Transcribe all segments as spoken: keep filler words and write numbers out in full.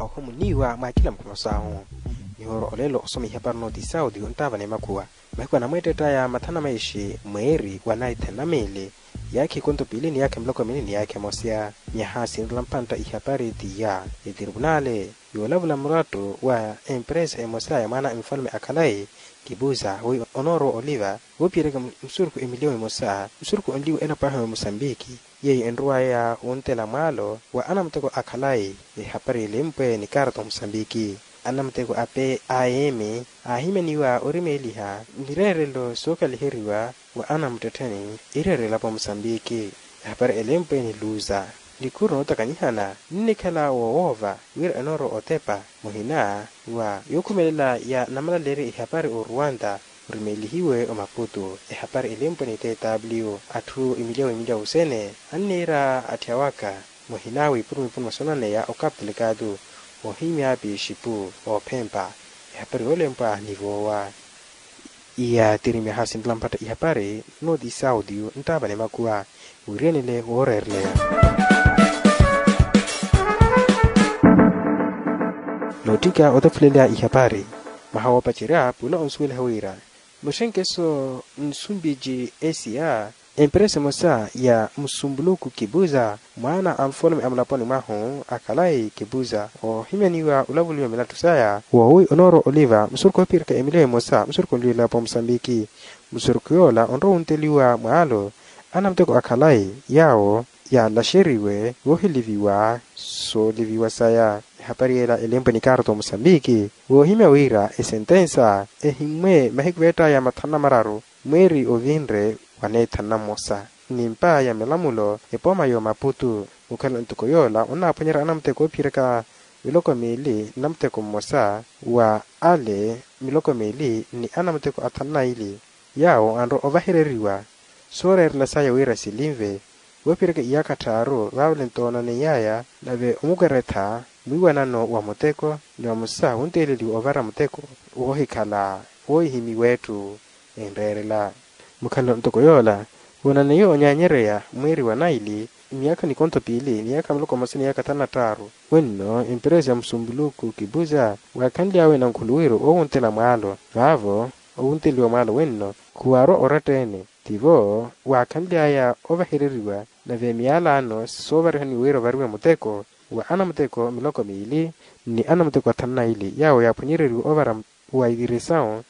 Ohomuniwa mwa kila mukhono sahu. Nihooro olelo osoma ihapari nooti saudi ontaava ni makhuwa. Mahiku anamweettettaya mathana maishi mweeri wa naithe namili, yaakha ikonto piili ni yaakha miloko mili ni yaakha emosa. Myaha sinrela mpantta ihapari tiya, etiribunale yoolavula murattu wa empresa emosa ya mwaana a mfalume a khalayi kipuza wi onoorowa oliva woophiyeryaka musurukhu emiliyo emosa musurukhu onliwa elapo ahu ya musambiki, yeeyo enrowaya wuntela mwaalo wa anamuteko a khalayi. Ehapari elempwe ni karto musambiki, anamuteko a p a m aahimyaniwa orimeeliha mireerelo sookaliheriwa wa anamuttettheni ireerela elapo musambiki. Ehapari elempwe ni luza, nikhuru nootakanihana nnikhala woowoova wira enoorowa otepa muhina wa yookhumelela ya namalaleerya ihapari oruwanta orimeelihiwe omaputu. Ehapari elempwe ni tw atthu emiliya wemiliya wusene anniira atthi awaka muhina wipurumipuru mwasonaneya okaplikatu oohimya pixipu oophempa. Ehapari yoolempwa ni voowa. Iya tiri myaha sinrela mphatta ihapari nooti saudi nttaava ni makuwa. Wiirenele wooreereleya nootthika otefuleleya ihapari. Mwaha woopacerya pula onsuweliha wira muxenkeso nsumbiji esiya empresa emosa ya musumbuluku kipuza mwaana a nfalume a mulaponi mwahu a khalayi kipuza oohimyaniwa olavuliwa milattu saya woowi onoorowa oliva musurukhu oophiyeraka emiliyo emosa musurukhu onliwa elapo musambiki. Musurukhu yoola onrowa wunteliwa mwaalo anamuteko a khalayi yaawo yaalaxeriwe woohiliviwa sooliviwa saya. Ehapari yeela elempwe ni karto musambiki woohimya wira esentensa ehimmwe mahiku veettaya mathanu na mararu mweeri ovinre wa neethanu na mmosa ni mpa ya milamulo epooma yoomaputu. Mukhala ntoko yoola onnaaphwanyerya anamuteko oophiyeraka miloko miili nnamuteko mmosa wa ale miloko miili ni anamuteko athanu na ili yaawo anrowa ovahereriwa sooreerela saya wira silinve woophiyeraka iyaakha tthaaru vaavale ntoonaneyaya nave omukweretha mwiiwanano wa muteko ni vamosa wunteeleliwa ovara muteko woohikhala woohihimiwa etthu enreerela. Mukhalelo ntoko yoola woonaneiwe onyaanyereya mweeri wa naili miyaakha nikontho piili miyaakha muloko mmosa ni yaakha thanu na tthaaru wenno emperesa ya musumbuluku kipuza waakhanly'awe nankhuluwiru owuntela mwaalo vaavo owunteliwa mwaalo wenno khuwaarwa oratta-ene tivo waakhanly'aya ovahereriwa nave miyaalaano soovarihaniwa wira ovariwe muteko wa anamuteko miloko miili ni anamuteko athanu na ili yaawo yaaphwanyereriwe ovara wa itiresawu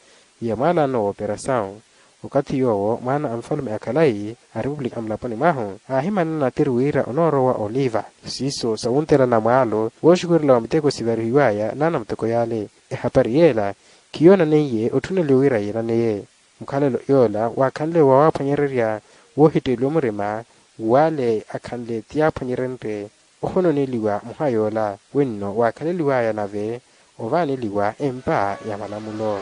ya mwaalaano wooperasawu. Okathi yoowo mwaana a nfalume a khalayi a repupulika a mulaponi mwahu aahimanana tiri wira onoorowa oliva siiso sawuntelana mwaalo wooxukurela wa miteko sivarihiwaya n'anamuteko yaale. Ehapari yeela khiyoonaneiye otthuneliwa wira yiilaneye. Mukhalelo yoola waakhanle wawaaphwanyererya woohitteeliwa murima wale akhanle ti yaaphwanyerenrye ohononeliwa muha yoola wenno waakhaleliwaya nave ovaaneliwa empa ya malamulo.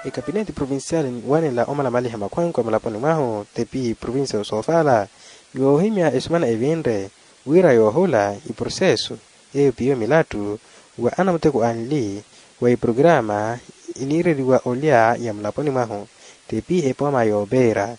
Ekapineti provincial niwanela omalamaliha makhwankwa mulaponi mwahu tepi provincia ya osoofala yoohimya esumana evinre wira yoohula iproseso eyo piyo milattu wa anamuteko anli wa iprograma iniireriwa olya ya mulaponi mwahu tepi epooma yoopeera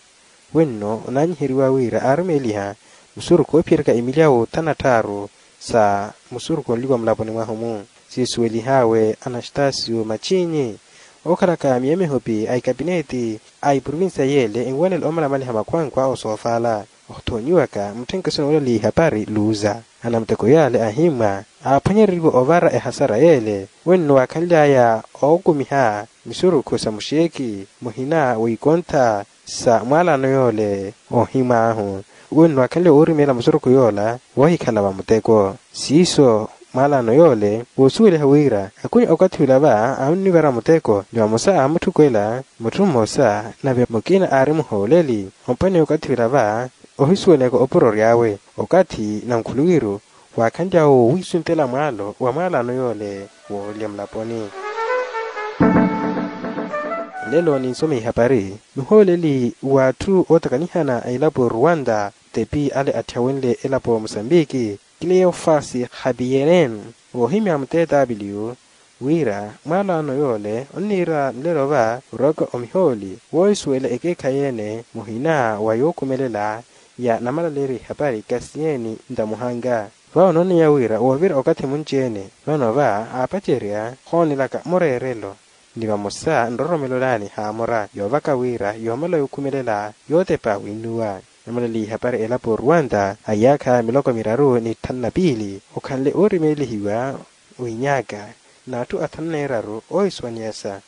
wenno onaanyiheriwa wira aarumeeliha musurukhu oophiyeryaka emilyawu thanu na tthaaru sa musurukhu onliwa mulaponi mwahu-mu. Siisuwelih'awe anastasio machinyi ookhalaka miyo mihupi a ikapineti a iprovincia yeele enwanela omalamaliha makhwankwa a osoofala. Othoonyiwaka mutthenkeso noolaliha ipari luuza anamuteko yaale ahimmwa aaphwanyereriwe ovara ehasara yeele wenno waakhanly'aya ookumiha misurukhu sa muxeeki muhina w'ikontha sa mwaalaano yoole. Oohimw'ahu wenno waakhanly'aya woorimeela musurukhu yoola woohikhala va muteko siiso mwaalaano yoole woosuweliha wira akuni okathi ula va aannivara muteko ni vamosa aamutthukwela mutthu mmosa nave mukina aari muhooleli ompweneya okathi ula va ohisuwelaka opuro ory'awe okathi nankhuluwiru waakhanly'awe woowiisuntela mwaalo wa mwaalaano yoole woolya mulaponi. Lelo ninsoma ihapari muhooleli w'atthu ootakanihana a elapo ruwanda tepi ale atthawenle elapo musambiki kileyofasi khapiyereeni woohimya mutetaapiliyu wira mwaalaano yoole onniira nlelo va orwaka omihooli woohisuwela ekeekhayi-ene muhina wa yookhumelela ya namalaleerya ihapari kasiyeeni ntamuhanga. Vavo nooneya wira woovira okathi munci-ene, vano va aapacerya ohoonelaka mureerelo ni vamosa nroromelo naani haamora yoovaka wira yoomala yookhumelela yootepa winnuwa. Namalaliye ihapari elapo ruwanta a iyaakha miloko miraru ni tthanu na piili okhanle oorimeelihiwa wiinyaaka n'atthu athanu neeraru oohisuwaniyasa.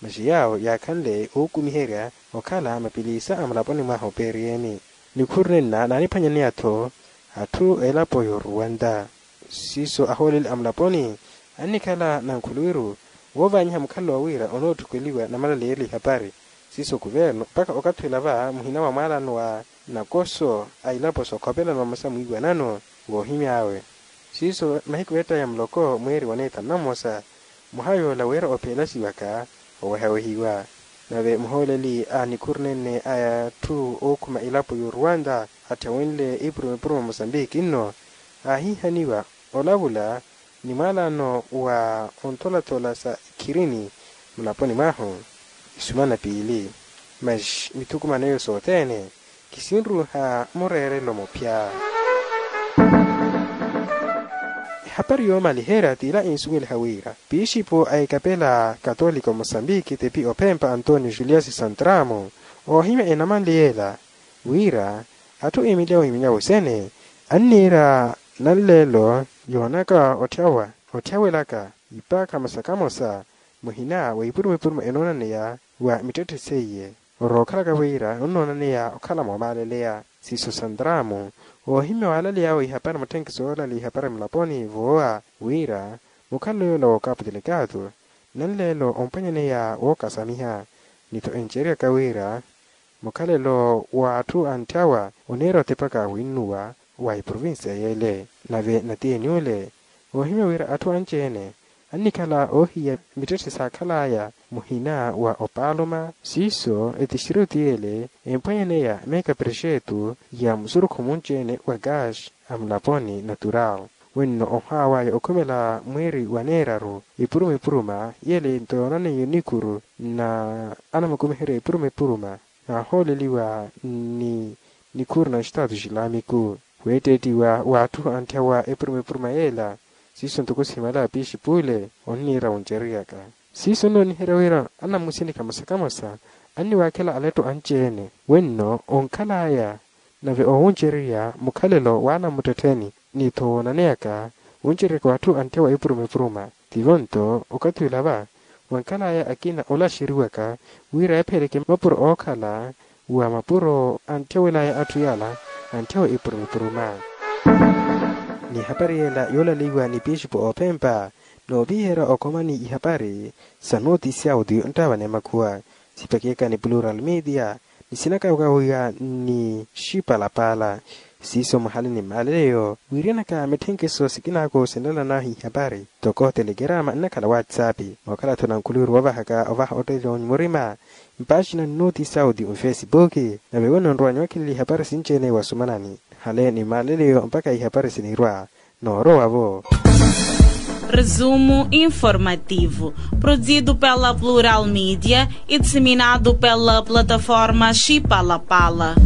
Masi yaawo yaakhanle ookumiherya okhala mapiliisa a mulaponi mwaha opeeriyeni. Nikhuru nenna naaniphwanyaneya-tho atthu elapo y'oruwanta. Siiso ahooleli a mulaponi annikhala nankhuluwiru woovaanyiha mukhalelo wa wira onootthukeliwa namalaleerya ihapari. Siiso kuvernu mpakha okathi ula va muhina wa mwaalano wa nakoso a ilapo sookhopelano vamosa mwiiwanano woohimy'awe. Siiso mahiku ettaya muloko mweeri wa neethanu na mmosa mwaha yoola wira opheelasiwaka owehawehiwa. Nave muhooleli a nikhuru nene a atthu ookhuma elapo y'oruwanta atthyawenle ipuruma-ipuruma mosambiki nno aahihaniwa olavula ni mwaalano wa ontholathola sa ikhirini mulaponi mwahu isumana piili. Masi mithukumano eyo sothene kisinruha mureerelo muphya. Ehapari yoomaliherya t'ila insuweliha wira piishipo a ikapela katolika mosambiki tepi ophempa antonio julius santramo oohimya enamanle yeela wira atthu emiliyawo emiliyawo sene anniira nanleelo yoonaka otthyawa otthyaweraka ipaakha mosa kamosa muhina wa ipuruma-ipuruma enoonaneya wa mittetthe seiye. Orookhalaka wira onnoonaneya okhala moomaaleleya siiso santramo oohimya waalaley'awe ihapari mutthenkiso yoolaleya ihapari mulaponi voowa wira mukhalelo yoola w'okapu telekaatu nanleelo ompwanyaneya wookasamiha ni-tho enceryaka wira mukhalelo w'atthu antthawa oneera otepaka winnuwa wa iprovincia yeele. Nave natiyeni ole oohimya wira atthu anci-ene annikhala oohiya mittetthe saakhal'aya muhina wa opaaluma siiso etixiriti yeele empwanyaneya meeka prexetu ya musurukhu munci-ene wa gas a mulaponi natural. Wenno ohaaw'aya okhumela mweeri wa neeraru ipuruma-ipuruma yeele nto yoonaneiye nikuru na anamukumiherya ipuruma-ipuruma naahooleliwa ni nikhuru na xitaatu xilamiku weetteettiwa w'atthu antthawa epuruma-epuruma yeela. Siiso ntoko simalaya piixipule onniira wuncereryaka siiso onnooniherya wira anamusinika mosa kamosa anniwaakhela aletto anci-ene wenno onkhal'aya nave owuncererya mukhalelo w'anamuttettheni ni-tho woonaneyaka wuncereryaka w'atthu antthe wa epuruma-epuruma. Tivo nto okathi ula va wankhal'aya akina olaxeriwaka wira ephiyeleke mapuro ookhala wa mapuro antthe wel'aya atthu yala antthe wa epuruma-epuruma. Ni ehapari yela yoolaleiwa ni pixipo oophempa nooviherya okhomani ihapari sa notisi audio nttaavana emakhuwa sipakiyaka ni plural media ni sinakawakawiha ni xipalapala. Siiso mwahalani mmaleleyo wiiryanaka mitthenkeso sikinako sinlala nahi ihapari toko telekerama nnakhala whatsapp mookhala-tho nankhuluwiru woovahaka ovaha ottettela onyu murima mpaxina ni notisi audio nfesipuki. Nave wenno nrwanyu akhelele ihapari sinci-ene wasumanani hale ni mmaleleyo mpakha ihapari sinirwa noorowa-vo. Resumo informativo, produzido pela plural media e disseminado pela plataforma xipalapala.